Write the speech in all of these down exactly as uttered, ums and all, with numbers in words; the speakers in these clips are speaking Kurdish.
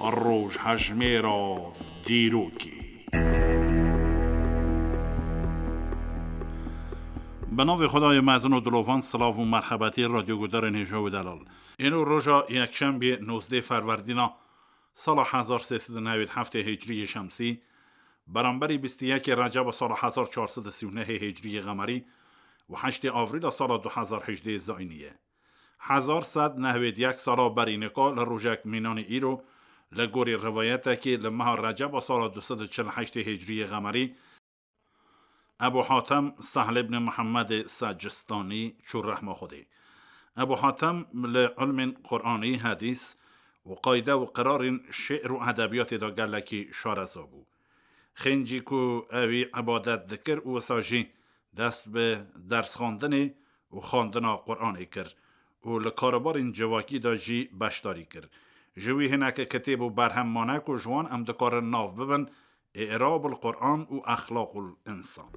Rojhejmêra dîrokê. Bi navê Xwedayê mezin û dilovan, silav û merhebetî radyoguhdarên hêja û delal. Îro roja yekşembê nozdeh ferwerdîna sala hezar sê sed û newêd heftê hicriyê şemsî, beramberî bîst û yekê receba sala hezar çar sed û sî û nehê hicriyê qemerî û heştê avrîla sala du hezar hejdeh zayînî ye. Hezar sed nehwêd yek sala berî nika li rojek mînanî îro, li gorî rivayetekê li meha receba sala du sed û çil heştê hicriyê qemerî, Ebu Hatem Sehl ibn Muhammedê Secristanî çû rehma Xwedê. Ebu Hatem li ilmên Quranî, hedîs û qayde û qirarên şi'r û edebiyatê de gelekî şareza bû. Xêncî ku ewî ibadet dikir û wisa jî dest bi dersxwendinê û xwendina Quranê kir û li karobarên civakî de jî beşdarî kir. Ji wî hineke kitêb û berhem mane ku ji wan em dikarin nav bibin, I'rabul Quran û Exlaqul Însan.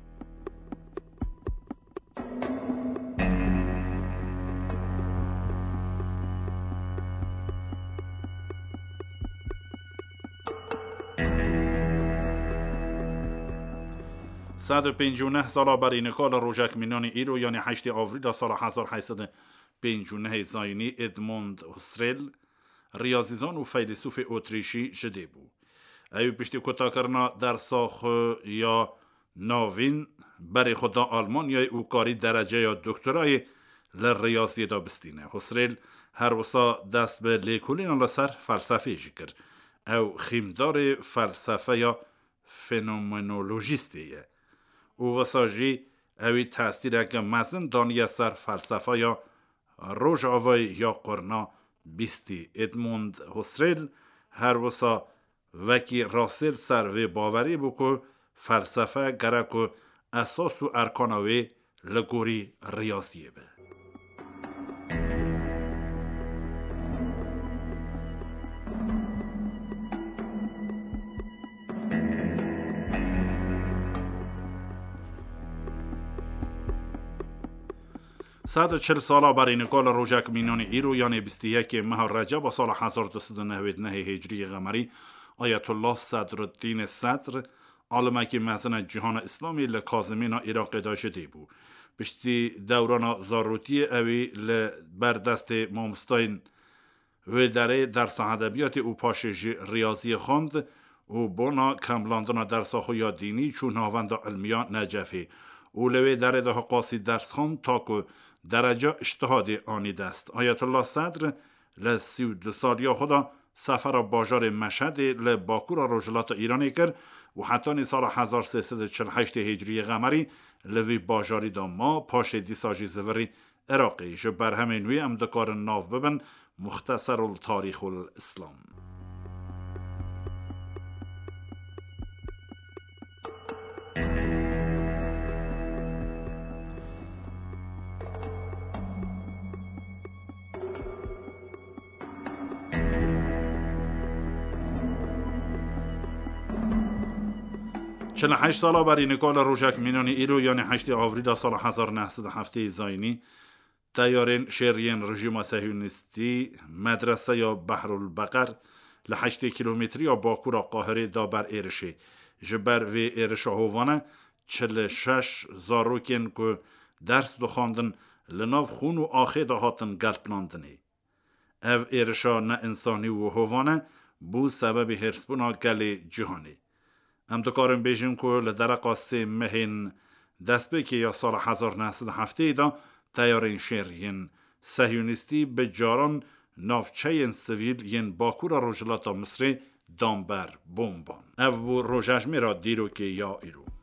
Sed û pêncî û neh sala berî nika li rojek mînanî îro, yanî heştê avrîla sala hezar heyt sed û pêncî û nehê zayînî, Edmund Husserl, riyazîzan û feylesûfê Otrîşî ji dê bû. Ew piştî kutakirina dersa xwe ya navîn berê xwe da Almanyayê û karî dereceya doktorayê li riyaziyê de bistîne. Husserl her wisa dest bi lêkolîna li ser felsefeyê jî kir. Ew xîmdarê felsefeya fenomenolojîstê ye û wisa jî ewî tesîreke mezin daniye ser felsefeya Rojavayê ya qurna bîstî. Edmund Husserl her wisa wekî Russell ser vê bawerî bû ku felsefe gerek ku esas û erkana wê li gorî riyaziyê be. Sed û çil sala berî nika li rojek mînanî îro, yanê bîst û yekê meha Receba sala hezar du sed û nehwêd nehê hicriyê qemerî, Ayetullah Sedruddînê Sedr, alimekî mezin a cîhana Îslamî, li Kazimîna Iraqê de ji dê bû. Piştî dewrana zarotiyê ewî li ber destê mamostayên wê derê dersa edebiyatê û paşê jî riyaziyê xwend û bona kemlandina dersa xwe ya dînî çû navenda ilmiya Necefê û li wê derê de hiqasî ders xwend ta ku dereca îctihadê anî dest. Ayetullah Sedr li sî û du saliya xwe de sefera bajarê Meşhedê li bakûra rojhilata Îranê kir û hetanî sala hezar sê sed û çil heştê hicriyê qemerî li vî bajarî de ma, paşê dîsa jî zivirî Iraqê. Ji berhemên wî em dikarin nav bibin Muxteserul Tarîxul Îslam. Çil û heşt sala berî nika li rojek mînanî îro, yanî heştê avrîla sala hezar neh sed û heftê zayînî, teyarên şêriyên rejîma sehyonîstî medreseya Behrul Beqer li heştê kîlometriya bakûra Qahirê da ber êrişê. Ji ber vê êrişa hovane çil û şeş zarokên ku ders dixwandin li nav xûn û axê de hatin gelplandinê. Ev êrişa neînsanî û hovane bû sebebê hêrsbûna gelê cîhanê. Em dikarin bêjin ku li dereqa sê mehên destpêkê ya sala hezar neh sed û heftê de teyarên şêr yên sehyonîstî bi caran navçeyên sivîl yên bakûra rojhilata Misrê dan ber bomban. Ev bû rojejmêra dîrokê ya îro.